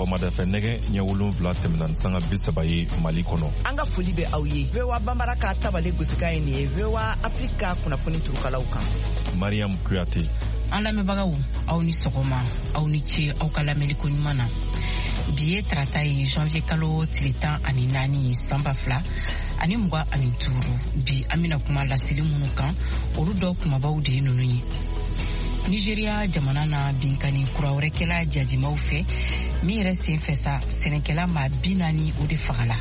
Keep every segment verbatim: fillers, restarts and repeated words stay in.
Sɔgɔmada fɛ nɛgɛ ɲɛ wolonwula tɛmɛna ni sanga bi saba ye Mali kɔnɔ. An ka foli bɛ aw ye. V O A Bambara ka tabale gosikan ye nin ye V O A Afrique ka kunnafoni turukalaw kan. Mariam Kuyate. An lamɛnbagaw, aw ni sɔgɔma, aw ni ce aw ka lamɛnliko ɲuman na. Bi ye tarata ye janvier kalo tile tan ani naani san ba fila ani mugan ani duuru. Bi an bɛna kuma laseli minnu kan, olu dɔ kumabaw de ye ninnu ye. Nigeria jamana na binkanni kura wɛrɛ kɛla jadimaw fɛ min yɛrɛ sen fɛ sa sɛnɛkɛla maa bi naani o de fagala.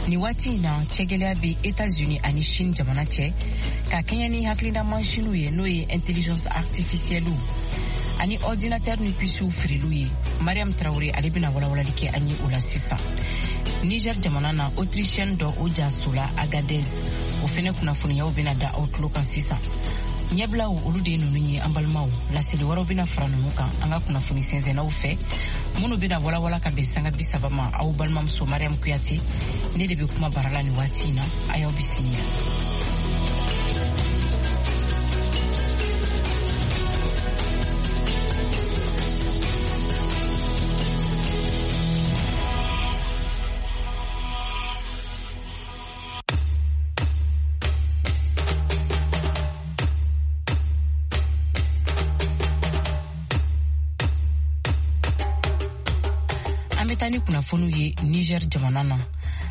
Nin waati in na cɛgɛlɛya bɛ États-Unis ani Chine jamana cɛ ka kɛɲɛ ni hakilina mansinw ye n'o ye intelligence artificielle ani ordinateur ni puces feereliw ye. Mariam Traoré ale bɛna walawalali kɛ an ye o la sisan. Niger jamana na Autrichienne dɔ o jasola Agadez o fɛnɛ kunnafoniyaw bɛna da aw tulo kan sisan. Ɲɛbilaw olu de ye ninnu ye an balimaw. Laseli wɛrɛw bɛna fara ninnu kan an ka kunnafoni sɛnsɛnnaw fɛ minnu bɛna walawala ka bɛn sanga bi saba ma. Aw balimamuso Mariam Kuyate ne de bɛ kuma bara la nin waati in na. A y'aw bisimila. An bɛ taa ni kunnafoniw ye Niger jamana na.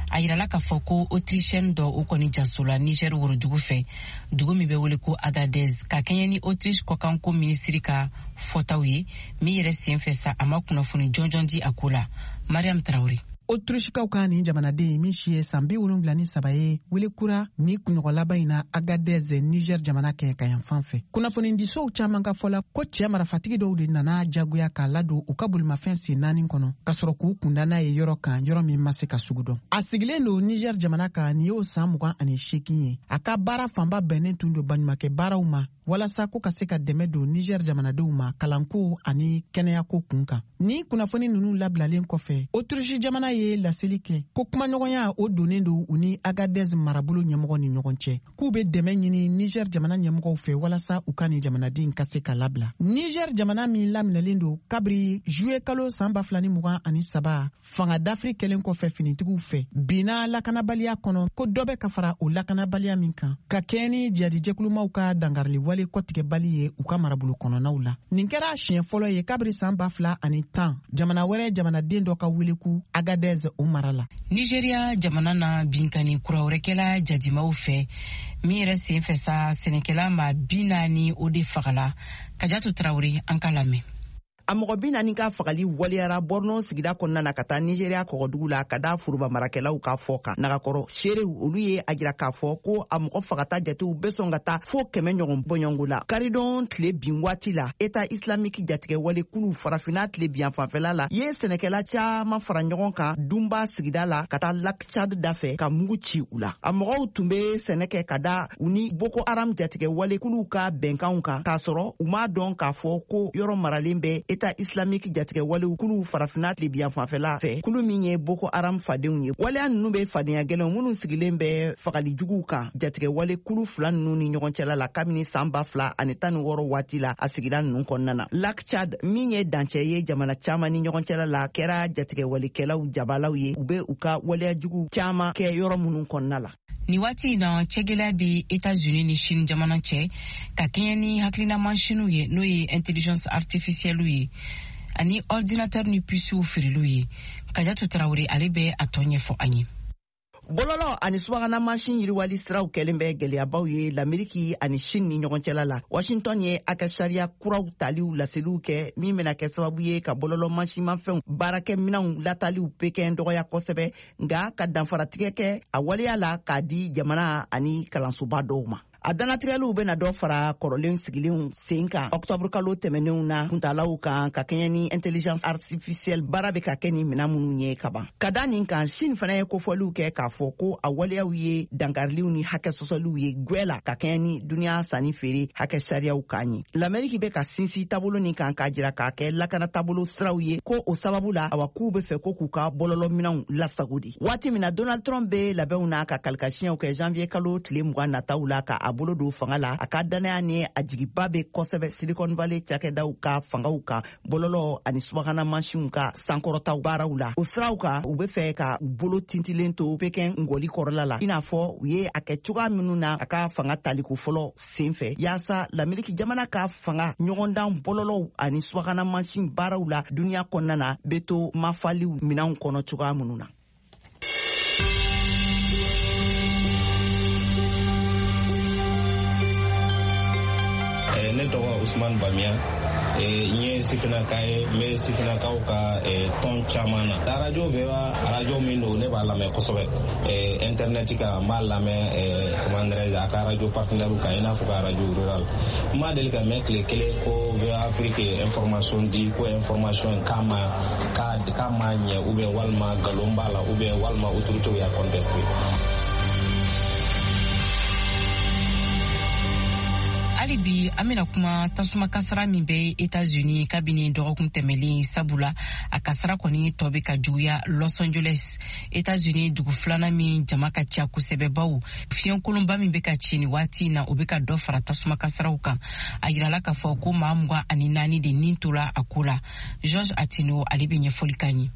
A yirala k'a fɔ ko Autrichienne dɔ o kɔni jasola Niger worodugu fɛ, dugu min bɛ wele ko Agadez, ka kɛɲɛ ni Autriche kɔkanko minisiri ka fɔtaw ye min yɛrɛ sen fɛ sa a ma kunnafoni jɔnjɔn di a ko la. Mariam Traoré. Autrichekaw ka nin jamanaden min si ye san bi wolonwula ni saba ye wele kura ni kunɲɔgɔn laban in na Agadez Niger jamana kɛ ka yan fan fɛ. Kunnafonidisow caman ka fɔ la ko cɛ marifatigi dɔw de nana jagoya k'a ladon u ka bolimafɛn sen naani kɔnɔ ka sɔrɔ k'u kunda n'a ye yɔrɔ kan, yɔrɔ min ma se ka sugu dɔn. A sigilen don Niger jamana kan nin y'o san mugan ani seegin ye. A ka baara fanba bɛnnen tun don baɲumakɛ baaraw ma walasa ko ka se ka dɛmɛ don Niger jamanadenw ma kalanko ani kɛnɛyako kun kan. Ni kunnafoni ninnu labilalen kɔfɛ, Autriche jamana ye laseli kɛ ko kumaɲɔgɔnya o donnen don u ni Agadez marabolo ɲɛmɔgɔ ni ɲɔgɔn cɛ, k'u bɛ dɛmɛ ɲini Niger jamana ɲɛmɔgɔw fɛ walasa u ka nin jamanaden ka se ka labila. Niger jamana min laminɛlen don kabiri juillet kalo san ba fila ni mugan ani saba fanga dafiri kɛlen kɔfɛ finitigiw fɛ, binna lakanabaliya kɔnɔ ko dɔ bɛ ka fara o lakanabaliya min kan ka kɛɲɛ ni jihadijɛkulumaw ka dangarili wale kɔtigɛbali ye u ka marabolo kɔnɔnaw la. Nin kɛra siɲɛ fɔlɔ ye kabiri san ba fila ani tan jamana wɛrɛ jamanaden dɔ ka weleku Agadez o mara la. Nigeria jamana na binkanni kura wɛrɛ kɛla jadimaw fɛ min yɛrɛ sen fɛ sa sɛnɛkɛla maa bi naani o de fagala. Kajatu Traoré an ka lamɛn. A mɔgɔ bi naani ka fagali waleyara Borno sigida kɔnɔna na ka taa Nigeria kɔgɔdugu la ka da foroba marakɛlaw ka fɔ kan. Nagakɔrɔ seerew olu ye a jira k'a fɔ ko a mɔgɔ fagata jatew bɛ sɔn ka taa fo kɛmɛ ɲɔgɔn bɔɲɔgɔnko la. Karidon tile bin waati la, État islamique jatigɛ wale kulu farafinna tile bin fanfɛla la ye sɛnɛkɛla caman fara ɲɔgɔn kan Dunba sigida la ka taa Lac Tchad da fɛ ka mugu ci u la. A mɔgɔw tun bɛ sɛnɛ kɛ ka da u ni Boko Haram jatigɛ wale kuluw ka bɛnkanw kan k'a sɔrɔ u m'a dɔn k'a fɔ ko yɔrɔ maralen bɛ État islamique jatigɛ walew kulu farafinna tilebiyan fanfɛla fɛ, kulu min ye Boko Haram fadenw ye. Waleya ninnu bɛ fadenya gɛlɛnw minnu sigilen bɛ fagali juguw kan jatigɛ wale kulu fila ninnu ni ɲɔgɔn cɛla la kabini san ba fila ani tan ni wɔɔrɔ waati la a sigida ninnu kɔnɔna na. Lac Tchad min ye dancɛ ye jamana caman ni ɲɔgɔn cɛla la kɛra jatigɛ walekɛlaw jabalaw ye, u bɛ u ka waleya jugu caman kɛ yɔrɔ minnu kɔnɔna la. Nin waati in na cɛgɛlɛya bɛ États-Unis ni Chine jamana cɛ ka kɛɲɛ ni hakilina mansinw ye n'o ye intelligence artificielle ye ani ordinateur ni puces feereliw ye. Kajatu Traoré ale bɛ a tɔ ɲɛfɔ an ye. Bɔlɔlɔ ani subahana mansin yiriwali siraw kɛlen bɛ gɛlɛyabaw ye Lameriki ani Chine ni ɲɔgɔn cɛla la. Washington ye a ka sariya kuraw taliw laseliw kɛ min bɛna kɛ sababu ye ka bɔlɔlɔ mansinmafɛnw baarakɛminɛnw lataliw Pekin dɔgɔya kosɛbɛ, nka ka danfaratigɛ kɛ a waleya la k'a di jamana ani kalansoba dɔw ma. A dannatigɛliw bɛna dɔ fara kɔrɔlen sigilenw sen kan octobre kalo tɛmɛnenw na kuntalaw kan ka kɛɲɛ ni intelligence artificielle baara bɛ ka kɛ ni minɛn minnu ye kaban. Ka da nin kan, Chine fana ye kofɔliw kɛ k'a fɔ ko a waleyaw ye dankariliw ni hakɛ sɔsɔliw ye gwɛ la ka kɛɲɛ ni duniya sanni feere hakɛ sariyaw kan ye. L'Amérique bɛ ka sinsin taabolo nin kan k'a jira k'a kɛ lakana taabolo siraw ye ko o sababu la awa k'u bɛ fɛ ko k'u ka bɔlɔlɔminɛnw lasago de. Waati min na Donald Trump bɛ labɛnw na ka kalikasiɲɛw kɛ janvier kalo tile mugan nataw la ka a bolo don fanga la, a ka danaya ni a jigiba bɛ kosɛbɛ Silicon Valley cakɛdaw ka fangaw kan, bɔlɔlɔ ani subahana mansinw ka sankɔrɔtaw baaraw la. O siraw kan, u bɛ fɛ ka u bolo tintilen to Pekin ngɔli kɔrɔla la, i n'a fɔ u ye a kɛ cogoya minnu na a ka fanga taliko fɔlɔ sen fɛ, yaasa Lameriki jamana ka fanga ɲɔgɔndan bɔlɔlɔw ani subahana mansin baaraw la duniya kɔnɔna na bɛ to mafaliw minɛnw kɔnɔ cogoya minnu na. Ne tɔgɔ Usman Bamiya, n ye sifinnaka ye, n bɛ sifinnakaw ka tɔn caman na. Arajo V O A, arajo min don, ne b'a lamɛn kosɛbɛ internet kan, n b'a lamɛn comment dirais-je a ka arajo partenaire kan, i n'a fɔ ka arajo rural. N ma deli ka mɛn tile kelen ko V O A Afrique ye information di, ko information k'a ma k'a ma ɲɛ, ou bien walima nkalon b'a la, ou bien walima autorité y'a contesté. Hali bi an bɛna kuma tasuma kasara min bɛ États-Unis kabini dɔgɔkun tɛmɛlen, sabula a kasara kɔni tɔ bɛ ka juguya Los Angeles, États-Unis dugu filanan min jama ka ca kosɛbɛ, bawo fiɲɛkolonba min bɛ ka ci nin waati in na, o bɛ ka dɔ fara tasuma kasaraw kan. A yirala k'a fɔ ko maa mugan ani naani de nin tora a ko la. George Atino ale bɛ ɲɛfɔli k'an ye.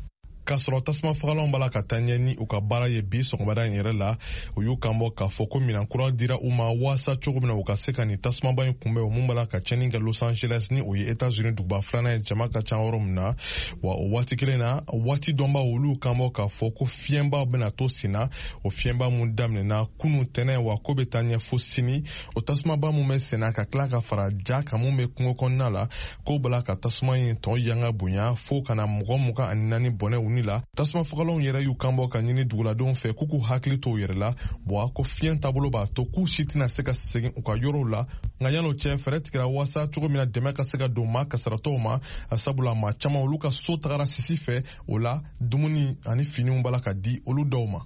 K'a sɔrɔ tasuma fagalanw b'a la ka taa ɲɛ ni u ka baara ye bi sɔgɔmada in yɛrɛ la, u y'u kan bɔ k'a fɔ ko minan kura dira u ma waasa cogo min na u ka se ka nin tasumaba in kunbɛn, o mun b'a la ka tiɲɛni kɛ Los Angeles ni o ye États-Unis duguba filanan ye jama ka ca yɔrɔ min na. Wa o waati kelen na, waati dɔnbaw olu kan bɔ k'a fɔ ko fiɲɛba bɛna to sen na, o fiɲɛba mun daminɛna kunun tɛnɛ, wa ko bɛ taa ɲɛ fo sini. O tasumaba mun bɛ sen na ka tila ka fara ja kan mun bɛ kungo kɔnɔna la, k'o b'a la ka tasuma in tɔ yanga bonya fo ka na mɔgɔ mugan ani naani bɔnɛ u ni la. Tasuma fagalanw yɛrɛ y'u kan bɔ ka ɲini duguladenw fɛ k'u k'u hakili to u yɛrɛ la, wa ko fiɲɛ taabolo b'a to k'u si tɛna se ka segin u ka yɔrɔw la. Nka yan'o cɛ, fɛɛrɛ tigɛra waasa cogo min na dɛmɛ ka se ka don maa kasaratɔw ma, sabula maa caman olu ka so tagara sisi fɛ, o la dumuni ani finiw b'a la ka di olu dɔw ma.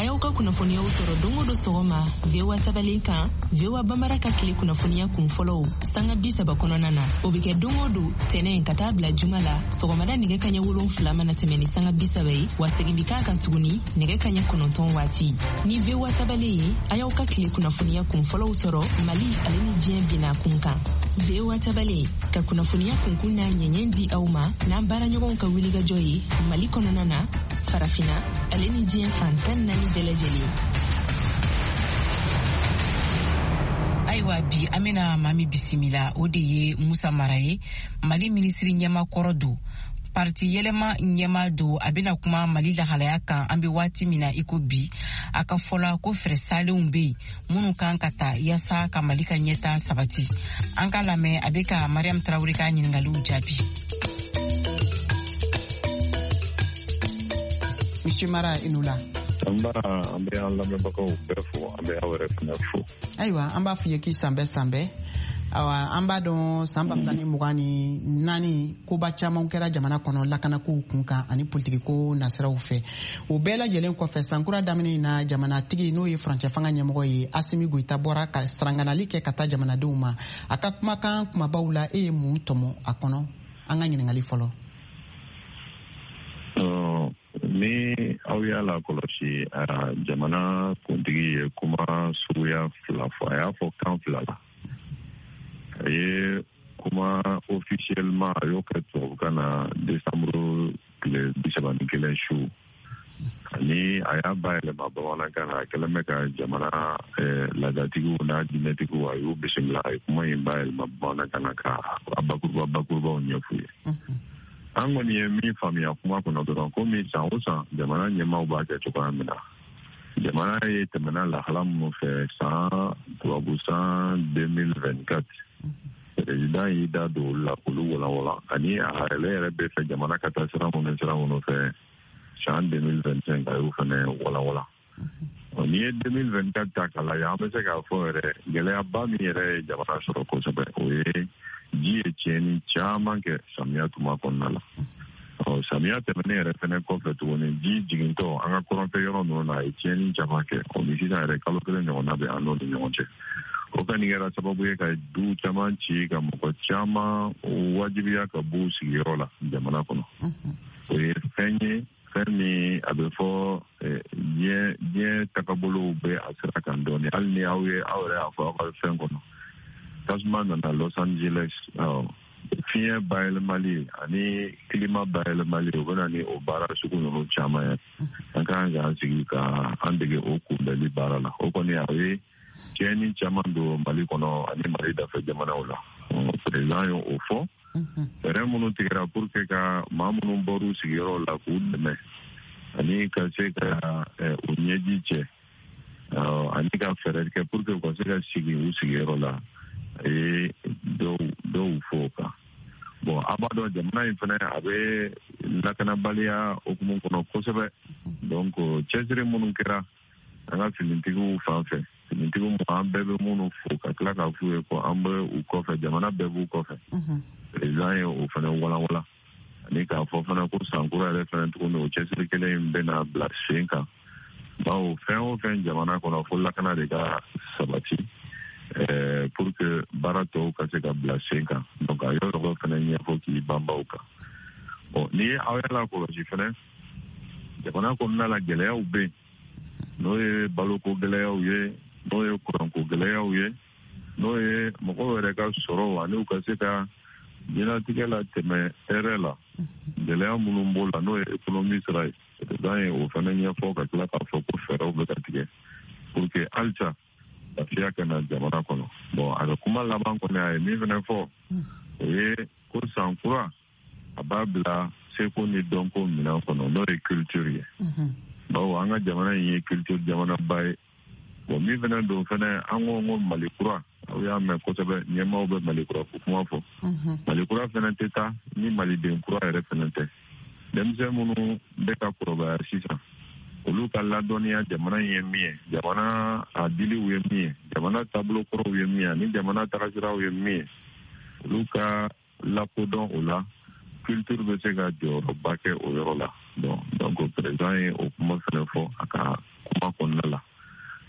A y'aw ka kunnafoniyaw sɔrɔ don o don sɔgɔma V O A tabalen kan, V O A Bambara ka tile kunnafoniya kun fɔlɔw sanga bi saba kɔnɔna na. O bɛ kɛ don o don tɛnɛn ka taa bila juma la sɔgɔmada nɛgɛ kaɲɛ wolonfila mana tɛmɛ ni sanga bi saba ye, wa segin bɛ k'a kan tuguni nɛgɛ kaɲɛ kɔnɔntɔn waati. Ni V O A tabalen ye, a y'aw ka tile kunnafoniya kun fɔlɔw sɔrɔ Mali ale ni diɲɛ binna kun kan. V O A tabalen ka kunnafoniya kunkun n'a ɲɛɲɛ di aw ma n'an baaraɲɔgɔnw ka wulikajɔ ye Mali kɔnɔna na, Farafina ale ni diɲɛ fan tan naani bɛɛ lajɛlen. Ayiwa bi an bɛna maa min bisimila, o de ye Musa Mara ye, Mali minisiri ɲɛma kɔrɔ don, parti yɛlɛma ɲɛma don. A bɛna kuma Mali lahalaya kan an bɛ waati min na i ko bi. A ka fɔ la ko fɛɛrɛ salenw bɛ yen minnu kan ka ta yaasa ka Mali ka ɲɛta sabati. An k'a lamɛn, a bɛ ka Mariam Traoré ka ɲininkaliw jaabi. Monsieur Mara, i ni wula. An b'a an bɛ an lamɛnbagaw bɛɛ fo, an bɛ aw yɛrɛ fana fo. Ayiwa, an b'a f'i ye k'i sanbɛ sanbɛ. Awa, an b'a dɔn san ba fila ni mugan ni naani koba caman kɛra jamana kɔnɔ lakanakow kun kan ani politikiko nasiraw fɛ. O bɛɛ lajɛlen kɔfɛ, sankura daminɛ in na, jamanatigi n'o ye furancɛ fanga ɲɛmɔgɔ ye Asimi Goyita bɔra ka saranganali kɛ ka taa jamanadenw ma. A ka kumakan kumabaw la, e ye mun tɔmɔ a kɔnɔ? An ka ɲininkali fɔlɔ. Ni aw y'a lakɔlɔsi, jamana kuntigi ye kuma suguya fila fɔ, a y'a fɔ kan fila la. A ye kuma officiellement, a y'o kɛ tubabukan na décembre tile bi saba ni kelen su, ani a y'a bayɛlɛma bamanankan na. A kɛlen bɛ ka jamana laadatigiw n'a diinɛtigiw, a y'u bisimila, a ye kuma in bayɛlɛma bamanankan na ka a bakuruba bakurubaw ɲɛf'u ye. An kɔni ye min faamuya kuma kɔnɔ dɔrɔn, komi san o san jamana ɲɛmaaw b'a kɛ cogoya min na, jamana ye tɛmɛna lahala minnu fɛ san tubabu san deux mille vingt-quatre, président y'i da don olu la k'olu walanwalan, ani a yɛrɛ yɛrɛ bɛ fɛ jamana ka taa sira minnu sira minnu fɛ san deux mille vingt-cinq, a y'o fana walanwalan. N'i ye deux mille vingt-quatre ta k'a lajɛ, an bɛ se k'a fɔ yɛrɛ gɛlɛyaba min yɛrɛ ye jamana sɔrɔ kosɛbɛ, o ye ji ye tiɲɛni caman kɛ samiya tuma kɔnɔna la. Ɔ samiya tɛmɛnen yɛrɛ fɛnɛ kɔfɛ tuguni, ji jigintɔ an ka kɔrɔnfɛ yɔrɔ ninnu na, a ye tiɲɛni caman kɛ. O ni sisan yɛrɛ kalo kelen ɲɔgɔnna bɛ an n'o ni ɲɔgɔn cɛ. O kɔni kɛra sababu ye ka du caman ci, ka mɔgɔ caman wajibiya ka b'u sigiyɔrɔ la jamana kɔnɔ. O ye fɛn ye, fɛn min a bɛ fɔ diɲɛ diɲɛ tagabolow bɛ a sira kan dɔɔnin. Hali ni aw ye aw yɛrɛ y'a fɔ aw ka fɛn kɔnɔ, tasuma nana Los Angeles, fiɲɛ bayɛlɛmali ani climat bayɛlɛmali, o bɛ na ni o baara sugu ninnu caman ye. An ka kan k'an sigi ka an dege o kunbɛli baara la. O kɔni a ye tiɲɛni caman don Mali kɔnɔ ani Mali dafɛ jamanaw la. Président ye o fɔ. Fɛɛrɛ minnu tigɛra pour que ka maa minnu bɔr'u sigiyɔrɔ la k'u dɛmɛ ani ka se ka u ɲɛji cɛ ani ka fɛɛrɛ kɛ pour que u ka se ka sigi u sigiyɔrɔ la, a ye dɔw dɔw fɔ o kan. Bon, a b'a dɔn jamana in fana a bɛ lakanabaliya hukumu kɔnɔ kosɛbɛ. Donc cɛsiri minnu kɛra an ka finitigiw fan fɛ, finitigiw an bɛɛ bɛ minnu fo ka tila k'a f'u ye ko an bɛ u kɔfɛ, jamana bɛɛ b'u kɔfɛ. Président ye o fana walanwalan ani k'a fɔ fana ko sankura yɛrɛ fana tuguni o cɛsiri kelen in bɛna bila sen kan, bawo fɛn o fɛn jamana kɔnɔ fo lakana de ka sabati pour que baara tɔw ka se ka bila sen kan. Donc a yɔrɔ dɔ fana ɲɛfɔ k'i banba o kan. Bon, n'i ye aw yɛrɛ lakɔlɔsi fana, jamana kɔnɔna la gɛlɛyaw bɛ yen, n'o ye baloko gɛlɛyaw ye, n'o ye kuranko gɛlɛyaw ye, n'o ye mɔgɔw yɛrɛ ka sɔrɔ ani u ka se ka diɲɛlatigɛ la tɛmɛ hɛrɛ la, gɛlɛya minnu b'o la, n'o ye économie sira ye. Président ye o fana ɲɛfɔ ka tila k'a fɔ ko fɛɛrɛw bɛ ka tigɛ pour que halisa lafiya ka na jamana kɔnɔ. Bon, a ka kuma laban kɔni a ye min fana fɔ, o ye ko san kura a b'a bila seko ni dɔnko minɛn kɔnɔ, n'o ye culture ye. Bawo an ka jamana in ye culture jamanaba ye. Bon, min fana don fana, an ko ko Mali kura, aw y'a mɛn kosɛbɛ, ɲɛmaaw bɛ Mali kura ko kuma fɔ. Mali kura fana tɛ taa ni maliden kura yɛrɛ fana tɛ. Denmisɛn minnu bɛ ka kɔrɔbaya sisan, olu ka ladɔnniya jamana in ye min ye, jamana a diliw ye min ye, jamana taabolo kɔrɔw ye min ye, ani jamana tagasiraw ye min ye, olu ka lakodɔn o la, culture bɛ se ka jɔyɔrɔba kɛ o yɔrɔ la. Bon, donc président ye o kuma fana fɔ a ka kuma kɔnɔna la.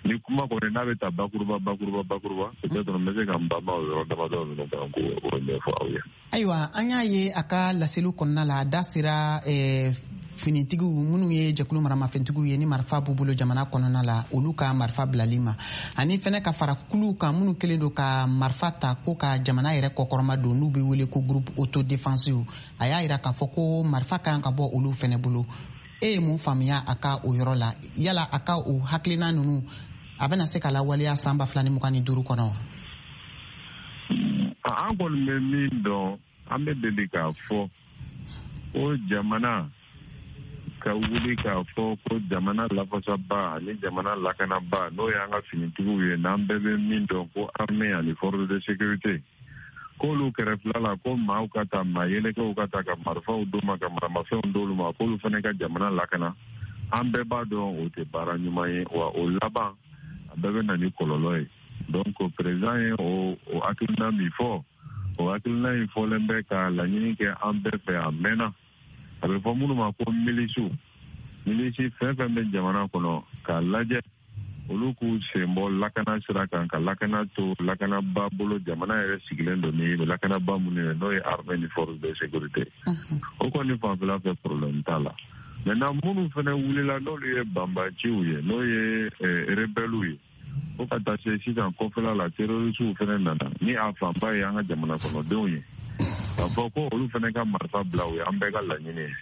Ni kuma kɔni n'a bɛ taa bakuruba bakuruba bakuruba, peut-être n bɛ se ka n banba o yɔrɔ damadɔ ninnu kan k'o ɲɛfɔ aw ye. Ayiwa, an y'a ye a ka laseliw kɔnɔna la, a da sera eh, finitigiw minnu ye jɛkulu maramafɛntigiw ye ni marifa b'u bolo jamana kɔnɔna la, olu ka marifa bilali ma, ani fɛnɛ ka fara kuluw kan minnu kɛlen don ka marifa ta ko ka jamana yɛrɛ kɔkɔrɔma don, n'u bɛ wele ko groupe autodéfensive. A y'a yira k'a fɔ ko marifa kan ka bɔ olu fɛnɛ bolo. E ye mun faamuya a ka o yɔrɔ la? Yala a ka o hakilina ninnu a bɛna se ka lawaleya san ba fila ni mugan ni duuru kɔnɔ wa? An kɔni bɛ min dɔn, an bɛ deli k'a fɔ ko jamana ka wuli k'a fɔ ko jamana lafasaba ani jamana lakanaba, n'o y'an ka finitigiw ye, n'an bɛɛ bɛ min dɔn ko armée ani force de sécurité, k'olu kɛrɛfɛla la ko maaw ka taa, maa yɛlɛkɛw ka taa ka marifaw d'u ma, ka maramafɛnw d'olu ma, k'olu fana ka jamana lakana, an bɛɛ b'a dɔn o tɛ baara ɲuman ye, wa o laban a bɛɛ bɛ na ni kɔlɔlɔ ye. Donc président ye o o hakilina min fɔ, o hakilina in fɔlen bɛ ka laɲini kɛ an bɛɛ fɛ a mɛnna. A bɛ fɔ minnu ma ko milisiw, milisi fɛn fɛn bɛ jamana kɔnɔ, k'a lajɛ olu k'u sen bɔ lakana sira kan, ka lakana to lakanaba bolo, jamana yɛrɛ sigilen don ni lakanaba minnu ye, n'o ye armée ni force de sécurité. O kɔni fanfɛla fɛ problème t'a la. Maintenant minnu fana wulila, n'olu ye banbaciw ye, n'o ye rebelles ye, fo ka taa se sisan kɔfɛla la terrorisiw fana nana, ni a fanba ye an ka jamana kɔnɔdenw ye, k'a fɔ ko olu fana ka marifa bila, o ye an bɛɛ ka laɲini ye.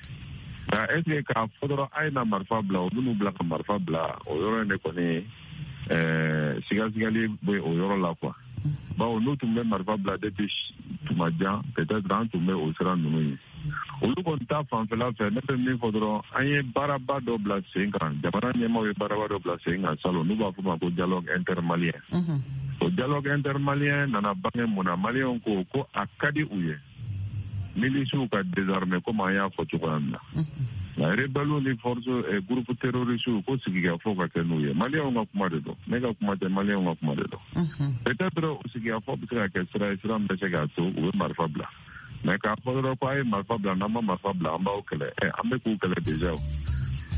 Nka est ce que k'a fɔ dɔrɔn a ye na marifa bila, o bɛn'u bila ka marifa bila, o yɔrɔ in de kɔni ɛɛ sigasigali bɛ o yɔrɔ la quoi. Bawo n'u tun bɛ marifa bila depuis tuma jan, peut-être an tun bɛ o sira ninnu ye. Olu kɔni ta fanfɛla fɛ, ne bɛ min fɔ dɔrɔn, an ye baaraba dɔ bila sen kan, jamana ɲɛmaaw ye baaraba dɔ bila sen kan salon, n'u b'a fɔ ma ko dialogue intermalien. O dialogue intermalien nana bange mun na? Maliyɛnw ko ko a ka di u ye milisiw ka désarmer, komi an y'a fɔ cogoya min na. Nka rebelles ni force groupe terroriste ko sigikafɔ ka kɛ n'u ye. Maliyɛnw ka kuma de don, ne ka kuma tɛ, maliyɛnw ka kuma de don. Peut-être o sigikafɔ bɛ se ka kɛ sira ye, sira min bɛ se k'a to u bɛ marifa bila. Mais k'a fɔ dɔrɔn ko a ye marifa bila, n'an ma marifa bila an b'aw kɛlɛ, ɛ an bɛ k'u kɛlɛ déjà o.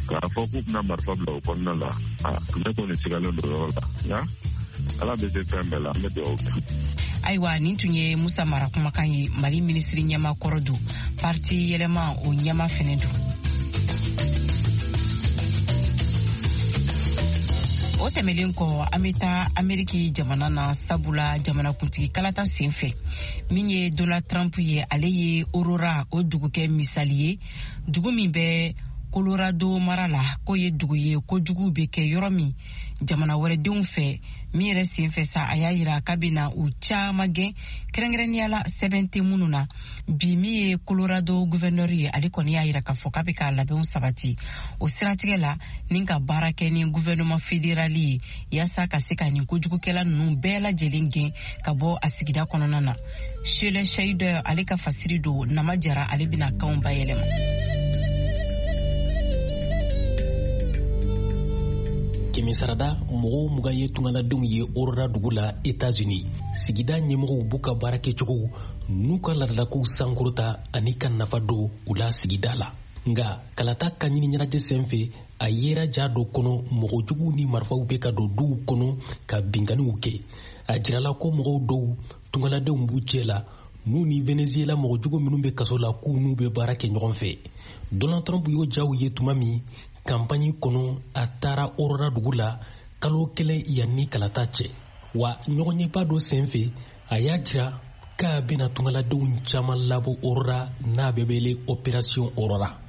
K'a fɔ k'u bɛna marifa bila o kɔnɔna la, a ne kɔni sigalen don o yɔrɔ la. Nka Ala bɛ se fɛn bɛɛ la, an bɛ dugawu kɛ. Ayiwa, nin tun ye Musa Mara kumakan ye. Mali minisiri ɲɛma kɔrɔ don, parti yɛlɛma o ɲɛma fɛnɛ don. O tɛmɛlen kɔ, an bɛ taa Ameriki jamana na, sabula jamanakuntigi kalata sen fɛ, min ye Donald Trump ye, ale ye Aurora o dugu kɛ misali ye, dugu min bɛ Colorado mara la, k'o ye dugu ye kojugu bɛ kɛ yɔrɔ min jamana wɛrɛdenw fɛ. Min yɛrɛ sen fɛ sa, a y'a yira k'a bɛna u caman gɛn, kɛrɛnkɛrɛnnenya la sɛbɛn tɛ minnu na. Bi, min ye Colorado gouverneur ye, ale kɔni y'a yira k'a fɔ k'a bɛ k'a labɛnw sabati o siratigɛ la ni ka baara kɛ ni gouvernement fédéral ye, yaasa ka se ka nin kojugukɛla ninnu bɛɛ lajɛlen gɛn ka bɔ a sigida kɔnɔna na. Shele Shaider ale ka fasiri don, Nama Jara ale bɛna kanw bayɛlɛma. Kɛmɛ sarada mɔgɔw mugan ye tungaladenw ye Aurora dugu la Etats-Unis. Sigida ɲɛmɔgɔw b'u ka baara kɛcogow n'u ka laadalakow sankɔrɔta ani ka nafa don u la sigida la. Nka kalata ka ɲini ɲɛnajɛ sen fɛ, a yera ja dɔ kɔnɔ mɔgɔ juguw ni marifaw bɛ ka don duw kɔnɔ ka binkanniw kɛ. A jirala ko mɔgɔw dɔw tungaladenw b'u cɛ la, n'u ni Venezuela mɔgɔ jugu minnu bɛ kaso la, k'u n'u bɛ baara kɛ ɲɔgɔn fɛ. Donald Trump y'o jaw ye tuma min kanpaɲi kɔnɔ, a taara Aurora dugu la kalo kelen yanni kalata cɛ. Wa ɲɔgɔnyeba dɔ sen fɛ, a y'a jira k'a bɛna tungaladenw caman labɔ Aurora n'a bɛ wele Opération Aurora.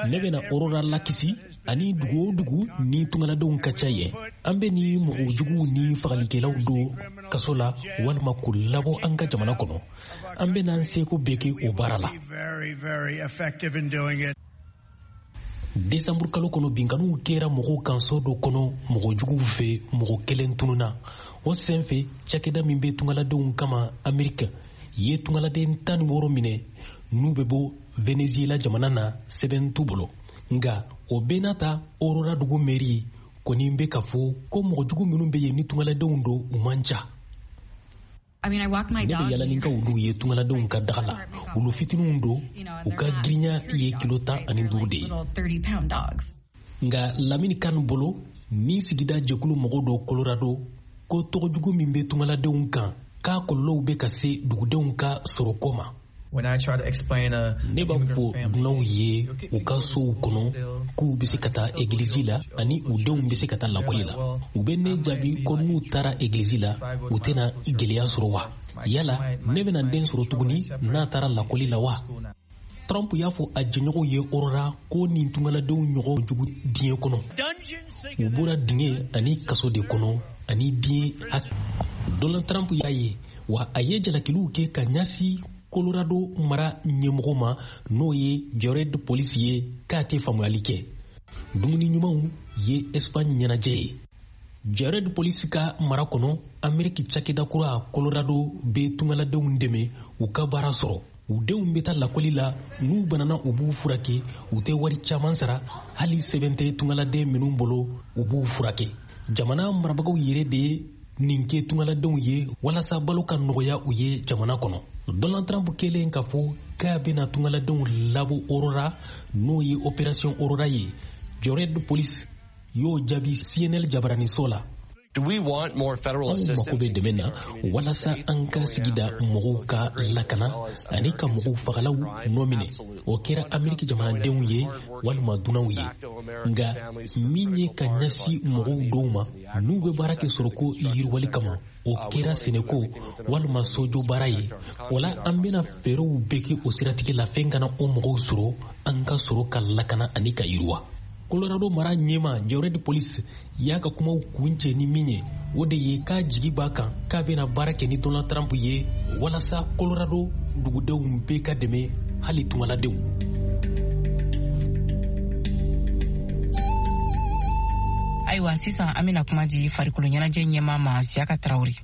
Ne bɛna Aurora lakisi ani dugu o dugu ni tungaladenw ka ca yen. An bɛ ni mɔgɔ juguw ni fagalikɛlaw don kaso la walima k'u labɔ an ka jamana kɔnɔ. An bɛna an seko bɛɛ kɛ o baara la. Desanburu kalo kɔnɔ, binkanniw kɛra mɔgɔw kan so dɔ kɔnɔ mɔgɔ juguw fɛ, mɔgɔ kelen tununna. O sen fɛ, cakɛda min bɛ tungaladenw kama Amerika ye tungaladen tan ni wɔɔrɔ minɛ n'u bɛ bɔ Venezuela jamana na, sɛbɛn t'u bolo. Nka o bɛɛ n'a ta, Aurora dugu mɛri kɔni bɛ ka fɔ ko mɔgɔ jugu minnu bɛ yen ni tungaladenw don, u man ca. Ne bɛ yala ni ka wuluw ye tungaladenw ka daga la. Wulu fitininw don, u ka girinya ye kilo tan ani duuru de ye. Nka Lamini Kan bolo, ni sigida jɛkulu mɔgɔw dɔ Colorado, ko tɔgɔjugu min bɛ tungaladenw kan, k'a kɔlɔlɔw bɛ ka se dugudenw ka sɔrɔko ma. Ne b'a fɔ dunanw ye u ka sow kɔnɔ k'u bɛ se ka taa egilizi la ani u denw bɛ se ka taa lakɔli la. U bɛ ne jaabi ko n'u taara egilizi la, u tɛna gɛlɛya sɔrɔ wa? Yala ne bɛna den sɔrɔ tuguni n'a taara lakɔli la wa? Trump y'a fɔ a jɛɲɔgɔnw ye Aurora ko nin tungaladenw ɲɔgɔn jugu diɲɛ kɔnɔ. U bɔra dingɛ ani kaso de kɔnɔ ani diɲɛ hak. Donald Trump y'a ye wa, a ye jalakiliw kɛ ka ɲɛsin Colorado mara ɲɛmɔgɔ ma, n'o ye Jared Polis ye, k'a tɛ faamuyali kɛ. Dumuni ɲumanw ye Espagne ɲɛnajɛ ye. Jared Polis ka mara kɔnɔ, Ameriki cakɛda kura Colorado bɛ tungaladenw dɛmɛ u ka baara sɔrɔ. U denw bɛ taa lakɔli la, n'u banana u b'u furakɛ, u tɛ wari caman sara, hali sɛbɛn tɛ tungaladen minnu bolo, u b'u furakɛ. Jamana marabagaw yɛrɛ de ye nin kɛ tungaladenw ye walasa balo ka nɔgɔya u ye jamana kɔnɔ. Donald Trump kɛlen k'a fɔ k'a bɛna tungaladenw labɔ Aurora, n'o ye Opération Aurora ye, Jared Polis y'o jaabi C N N jabaraniso la. Anw mako bɛ dɛmɛ na walasa an ka sigida mɔgɔw ka lakana ani ka mɔgɔw fagalaw nɔ minɛ. O kɛra Ameriki jamanadenw ye walima dunanw ye. Nka min ye ka ɲɛsin mɔgɔw dɔw ma n'u bɛ baara kɛ sɔrɔko yiriwali kama, o kɛra sɛnɛko walima sojɔ baara ye. O la, an bɛna fɛɛrɛw bɛɛ kɛ o siratigɛ la, fɛn kana o mɔgɔw sɔrɔ, an ka sɔrɔ ka lakana ani ka yiriwa. Colorado mara ɲɛma Jared Polis y'a ka kumaw kuncɛ ni min ye, o de ye k'a jigi b'a kan k'a bɛna baara kɛ ni Donald Trump ye walasa Colorado dugudenw bɛɛ ka dɛmɛ, hali tungaladenw. Ayiwa, sisan an bɛna kuma di farikolo ɲɛnajɛ ɲɛmaa ma, Siyaka Tarawele.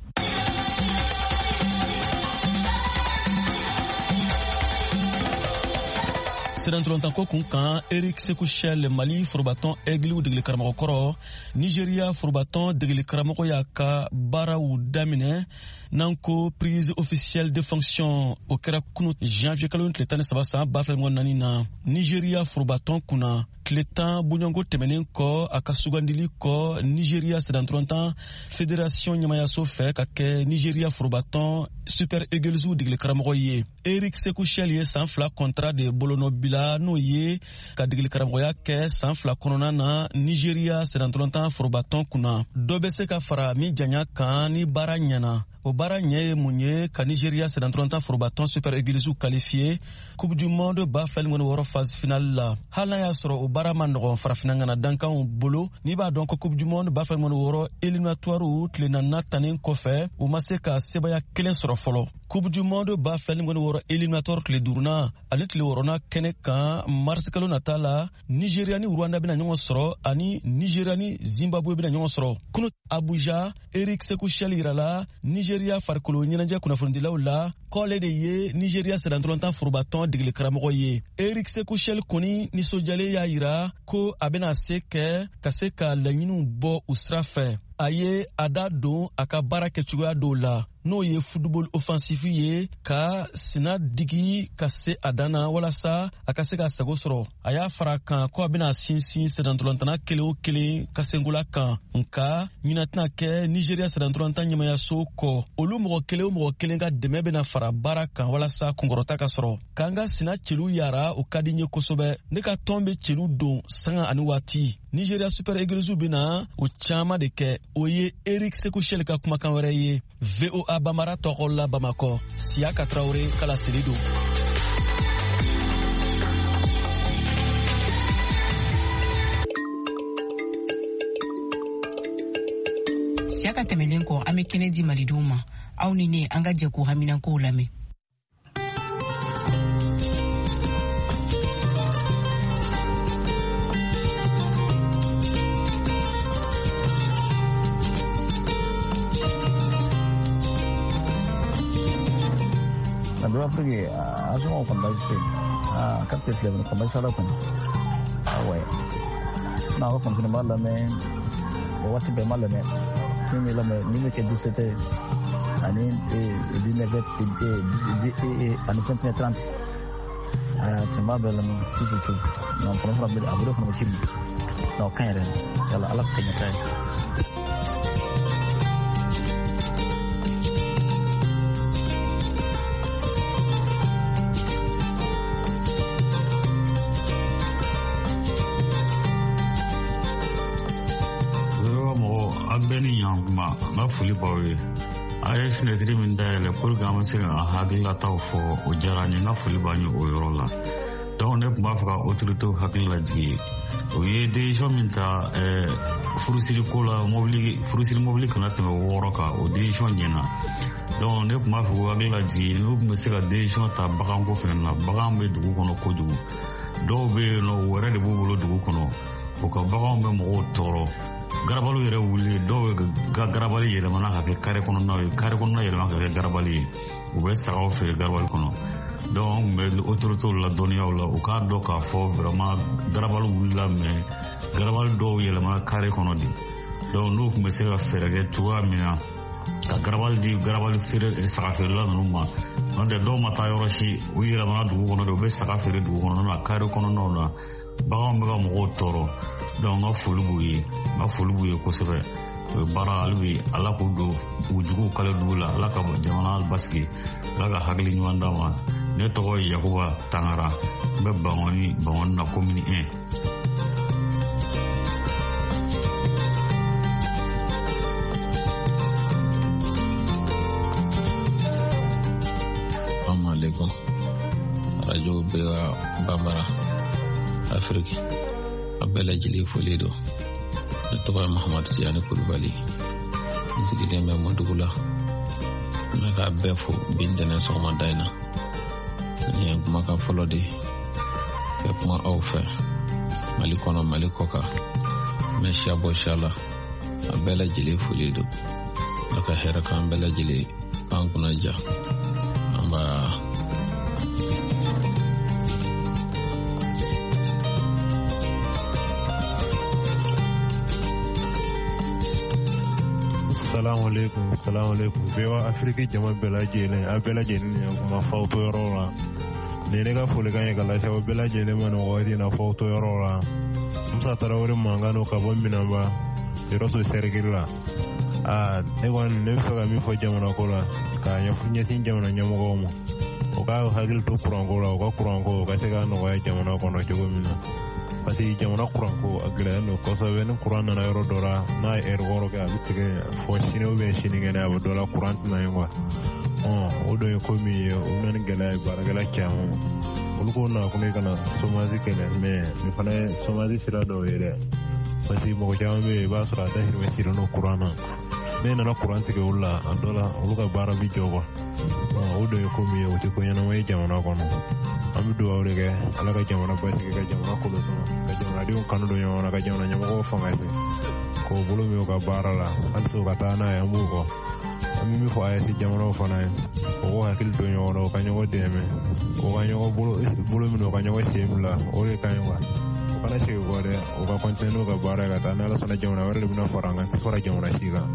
Sennantolatan ko kun kan, Eric Sekou Chelle, Mali forobatɔn Aigles degeli karamɔgɔ kɔrɔ, Nigeria forobatɔn degeli karamɔgɔ y'a ka baaraw daminɛ n'an ko prise officielle de fonction. O kɛra kunu janvier kalo tile tan ni saba san ba fila mugan naani na Nigeria forobatɔn kunna, tile tan bɔɲɔgɔnko tɛmɛnen kɔ a ka sugandili kɔ Nigeria sennantolatan fédération ɲɛmayaso fɛ ka kɛ Nigeria forobatɔn Super Eagles degeli karamɔgɔ ye. Eric Sekou Chelle ye san fila contrat de bolonɔbila, n'o ye ka degeli karamɔgɔya kɛ san fila kɔnɔna na Nigeria sennantolatan forobatɔn kunna. Dɔ bɛ se ka fara min janya kan ni baara ɲɛna. O baara ɲɛ ye mun ye? Ka Nigeria sennantolatan forobatɔn Super Eagles qualifié Coupe du monde ba fila ni wɔɔrɔ phase finale la. Hali n'a y'a sɔrɔ o baara ma nɔgɔn farafinna ŋana dankanw bolo, n'i b'a dɔn ko Coupe du monde ba fila ni wɔɔrɔ éliminatoire tile naaninan tannen kɔfɛ, u ma se ka sebaya kelen sɔrɔ fɔlɔ. Coupe du monde ba fila ni wɔɔrɔ éliminatoire tile duurunan ani tile wɔɔrɔnan kɛnɛ kan mars kalo nata la, Nigeria ni Rwanda bɛna ɲɔgɔn sɔrɔ ani Nigeria ni Zimbabwe bɛna ɲɔgɔn sɔrɔ. Kunu Abuja, Eric Sekou Chelle yirala Nigeria farikolo ɲɛnajɛ kunnafonidilaw la k'ale de ye Nigeria sennantolatan forobatɔn degeli karamɔgɔ ye. Eric Sekou Chelle kɔni nisɔndiyalen y'a yira ko a bɛna se kɛ ka se ka laɲiniw bɔ u sira fɛ. A ye a da don a ka baara kɛcogoya dɔw la, n'o ye football offensif ye, ka sina digi ka se a dan na walasa a ka se ka sago sɔrɔ. A y'a fara kan ko a bɛna sinsin sennantolatan kelen o kelen ka senkola kan, nka ɲinɛ tɛna kɛ Nigeria sennantolatan ɲɛmayaso kɔ. Olu mɔgɔ kelen o mɔgɔ kelen ka dɛmɛ bɛna fara baara kan walasa kunkɔrɔta ka sɔrɔ. K'an ka sina celu yara, o ka di n ye kosɛbɛ. Ne ka tɔn bɛ celu don sanga ani waati. Nigeria Super Eagles bɛna o caman de kɛ. O ye Eric Sekou Chelle ka kumakan wɛrɛ ye. V O A Bamara tɔgɔ la Bamakɔ, Siyaka Traoré ka laseli don. Siyaka tɛmɛnen kɔ, an bɛ kɛnɛ di malidenw ma. Aw ni ne, an ka jɛ k'u haminankow lamɛn. Afrique a sɔngɔ kɔni baasi tɛ yen. Aa carte filɛ nin ye, kɔni baasi t'a la kɔni. Awɔ, n'a ko kɔni b'a lamɛn o waati bɛɛ, n b'a lamɛn. Min bɛ lamɛn, min bɛ kɛ dix-sept heures ani dix-neuf heures ani vingt et une heures trente, aa n b'a bɛɛ lamɛn tout tout tout. Non, kɔnɔ fana bɛ a bolo fana bɛ ci min na, o ka ɲi yɛrɛ. Yala Ala ka ɲɛ ta ye. Kuma n ka foli b'aw ye. A ye finɛtiri min dayɛlɛ pour que an bɛ se ka an hakililataw fɔ, o diyara n ye. N ka foli b'an ye o yɔrɔ la. Donc ne tun b'a fɛ ka autorités hakili lajigin. U ye décision min ta furusiri ko la, mobili furusiri mobili kana tɛmɛ wɔɔrɔ kan, o décision ɲɛna. Donc ne tun b'a fɛ k'u hakili lajigin, n'u tun bɛ se ka décision ta baganko fɛnɛ na. Bagan bɛ dugu kɔnɔ kojugu, dɔw bɛ yen nɔ u yɛrɛ de b'u bolo dugu kɔnɔ, u ka baganw bɛ mɔgɔw tɔɔrɔ. Garabaliw yɛrɛ wuli, dɔw ka garabali yɛlɛmana ka kɛ kare kɔnɔnaw ye, kare kɔnɔna yɛlɛma ka kɛ garabali ye, u bɛ sagaw feere garabali kɔnɔ. Donc an tun bɛ autorités ladɔnniyaw la, u k'a dɔn k'a fɔ vraiment garabali wulila, mais garabali dɔw yɛlɛmana kare kɔnɔ de. Donc n'u tun bɛ se ka fɛɛrɛ kɛ cogoya min na ka garabali di garabali feere saga feerela ninnu ma, n'o tɛ dɔw ma taa yɔrɔ si, u yɛlɛmana dugu kɔnɔ de, u bɛ saga feere dugu kɔnɔna na, kare kɔnɔnaw na. Baganw bɛ ka mɔgɔw tɔɔrɔ. Donc n ka foli b'u ye, n ka foli b'u ye kosɛbɛ. O ye baara hali bi, Ala k'u don u juguw kale dugu la, Ala ka jamana basigi, Ala ka hakili ɲuman d'a ma. Ne tɔgɔ ye Yakuba Tangara, n bɛ Bangɔni, Bangɔni na commune un. Assalamu alaikum. Radio V O A Bambara Afrique, a bɛɛ lajɛlen foli don. Ne tɔgɔ ye Mahamadu Tijani Kulubali, n sigilen bɛ Mɔdugu la. N bɛ k'a bɛɛ fo bi ntɛnɛn sɔgɔmada in na. Nin ye kumakan fɔlɔ de ye ka kuma aw fɛ Mali kɔnɔ, Mali kɔ kan. N bɛ siya bɔ siya la, a bɛɛ lajɛlen foli don. Ala ka hɛrɛ k'an bɛɛ lajɛlen, k'an kunna diya. An b'a. Salamu alaikum, salamu alaikum. V O A Afrique jama bɛɛ lajɛlen, a bɛɛ lajɛlen ni ɲankuma f'aw to yɔrɔ la. Nin ye ne ka folikan ye ka lase aw bɛɛ lajɛlen ma nin wagati in na f'aw to yɔrɔ la. Musa Tarawele mankan don ka bɔ Minanba, Yɔrɔso sɛrikili la. Aa, ne kɔni ne bɛ fɛ ka min fɔ jamana ko la, k'a ɲɛsin jamana ɲɛmɔgɔw ma. U ka hakili to kuranko la, u ka kuranko u ka se ka nɔgɔya jamana kɔnɔ cogo min na. Parce que jamana kuranko a gɛlɛyalen don kosɛbɛ. Ni kuran nana yɔrɔ dɔ la, n'a ye ɛri wɔɔrɔ kɛ, a bɛ tigɛ fɔ sini ou bien sinikɛnɛ, a bɛ dɔ la kuran tɛna ye quoi. Ɔn, o dun ye ko min ye, o bɛ na ni gɛlɛya ye baarakɛla caman ma. Olu ko nakun ye ka na chômage kɛlɛ, mais nin fana ye chômage sira dɔw ye dɛ. Parce que mɔgɔ caman bɛ yen, i b'a sɔrɔ a dahirimɛ sirilen don kuran na. Ne nana kuran tigɛ olu la, a dɔ la olu ka baara bi jɔ quoi. O dun ye ko min ye, o tɛ ko ɲɛnama ye jamana kɔnɔ. An bɛ dugawu de kɛ Ala ka jamana basigi, ka jamana kolo suma, ka jamanadenw kanu don ɲɔgɔn na, ka jamana ɲɛmɔgɔw fanga se k'o bolo min u ka baara la, halisa u ka taa n'a ye, an b'u kɔ. An bɛ min fɔ A E S jamanaw fana ye, u k'u hakili to ɲɔgɔn na, u ka ɲɔgɔn dɛmɛ, u ka ɲɔgɔn bolo bolo minɛ, u ka ɲɔgɔn sen bila, o de ka ɲi quoi. U kana segin kɔ dɛ, u ka continuer n'u ka baara ye ka taa. Ni Ala sɔnna, jamana wɛrɛ de bɛna fara an kan, tɛ fara jamana si kan.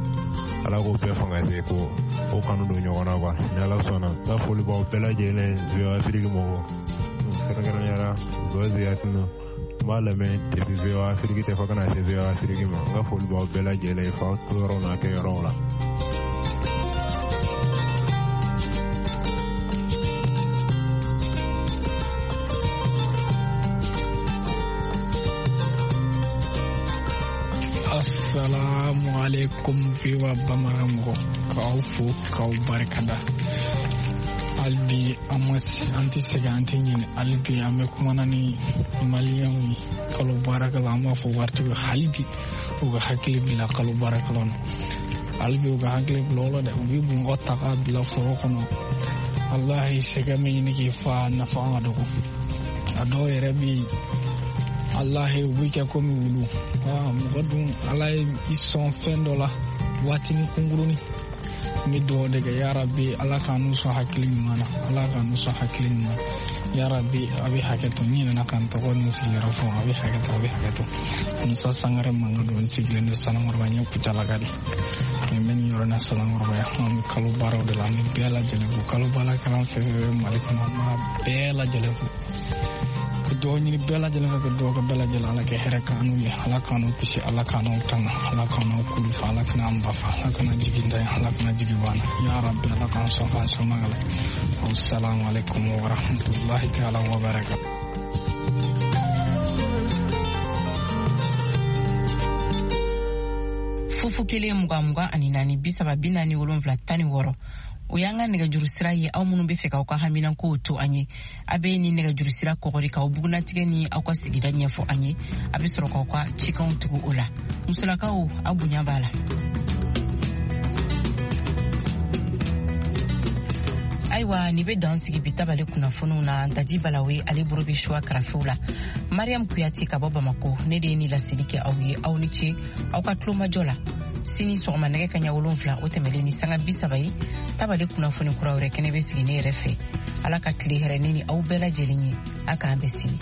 Ala k'o bɛɛ fanga se k'o o kanu don ɲɔgɔn na quoi. Ni Ala sɔnna, n ka foli b'aw bɛɛ lajɛlen V O A Afrique mɔgɔw, kɛrɛnkɛrɛnnenya la Zoé Ziyatino. N b'a lamɛn depuis V O A Afrique tɛ fɔ ka na se V O A Afrique ma. N ka foli b'aw bɛɛ lajɛlen f'aw to yɔrɔ n'a kɛ yɔrɔw la. Assalamu alaikum V O A Bambara mɔgɔ, k'aw fo k'aw barikada. Hali bi an ma an tɛ sɛgɛn, an tɛ ɲinɛ. Hali bi an bɛ kumana ni maliyɛnw ye kalo baarakɛlaw, an b'a fɔ waritigiw hali bi u ka hakili bila kalo baarakɛlaw na. Hali bi u ka hakili bila o la dɛ, u bɛ mɔgɔ ta k'a bila foro kɔnɔ. Walahi sɛgɛn bɛ ɲini k'i fa, nafa ka dɔgɔ. A dɔw yɛrɛ bɛ yen, Alahi u bɛ kɛ komi wulu. Mɔgɔ dun Ala ye i sɔn fɛn dɔ la waatinin kunkurunin. N bɛ dugawu de kɛ yarabi Ala k'an n'u sɔn hakili ɲuman na, Ala k'an n'u sɔn hakili ɲuman na. Yarabi a bɛ hakɛ to, n ɲinɛna ka n tɔgɔ ni sigiyɔrɔ fɔ, a bɛ hakɛ to, a bɛ hakɛ to. Musa Sangare mankan don, n sigilen don Sanankɔrɔba, n ye Kucalaka de. Nin bɛ nin yɔrɔ in na Sanankɔrɔba yan. An bɛ kalo baaraw de la, an bɛ bɛɛ lajɛlen fo. Kalo baarakɛla fɛn fɛn bɛ Mali kɔnɔ, an b'a bɛɛ lajɛlen fo. Ka dugawu ɲini bɛɛ lajɛlen fɛ, ka dugawu kɛ bɛɛ lajɛlen, Ala ka hɛrɛ k'an n'u ye, Ala k'an n'u kisi, Ala k'an n'u tanga, Ala k'an n'u kulu fa, Ala kana an ba fa, Ala kana jigin da ye, Ala kana jigin b'an na. Ya Rabbi Ala k'an sɔn k'an sɔn magala. Wassalamu alaikum wa rahmatullahi ta'ala wa barakatuh. Fufu kelen mugan mugan ani naani bi saba bi naani wolonfila tan ni wɔɔrɔ. O y'an ka nɛgɛjuru sira ye, aw minnu bɛ fɛ k'aw ka haminankow to an ye. A bɛ ni nɛgɛjuru sira kɔgɔri k'aw bugunatigɛ ni aw ka sigida ɲɛfɔ an ye. A bɛ sɔrɔ k'aw ka cikanw tugu o la. Musolakaw, aw bonya b'a la. Ayiwa, nin bɛ dan sigi bi tabale kunnafoniw na. Daji Balawe ale bolo bɛ suwa karafew la. Mariam Kuyate ka bɔ Bamako, ne de ye nin laseli kɛ aw ye. Aw ni ce aw ka tulomajɔ la. Sini sɔgɔma nɛgɛ kaɲa wolonfila o tɛmɛlen ni sanga bi saba ye, tabale kunnafoni kura wɛrɛ kɛnɛ bɛ sigi ne yɛrɛ fɛ. Ala ka tile hɛrɛ ne ni aw bɛɛ lajɛlen ye. A k'an bɛ sini.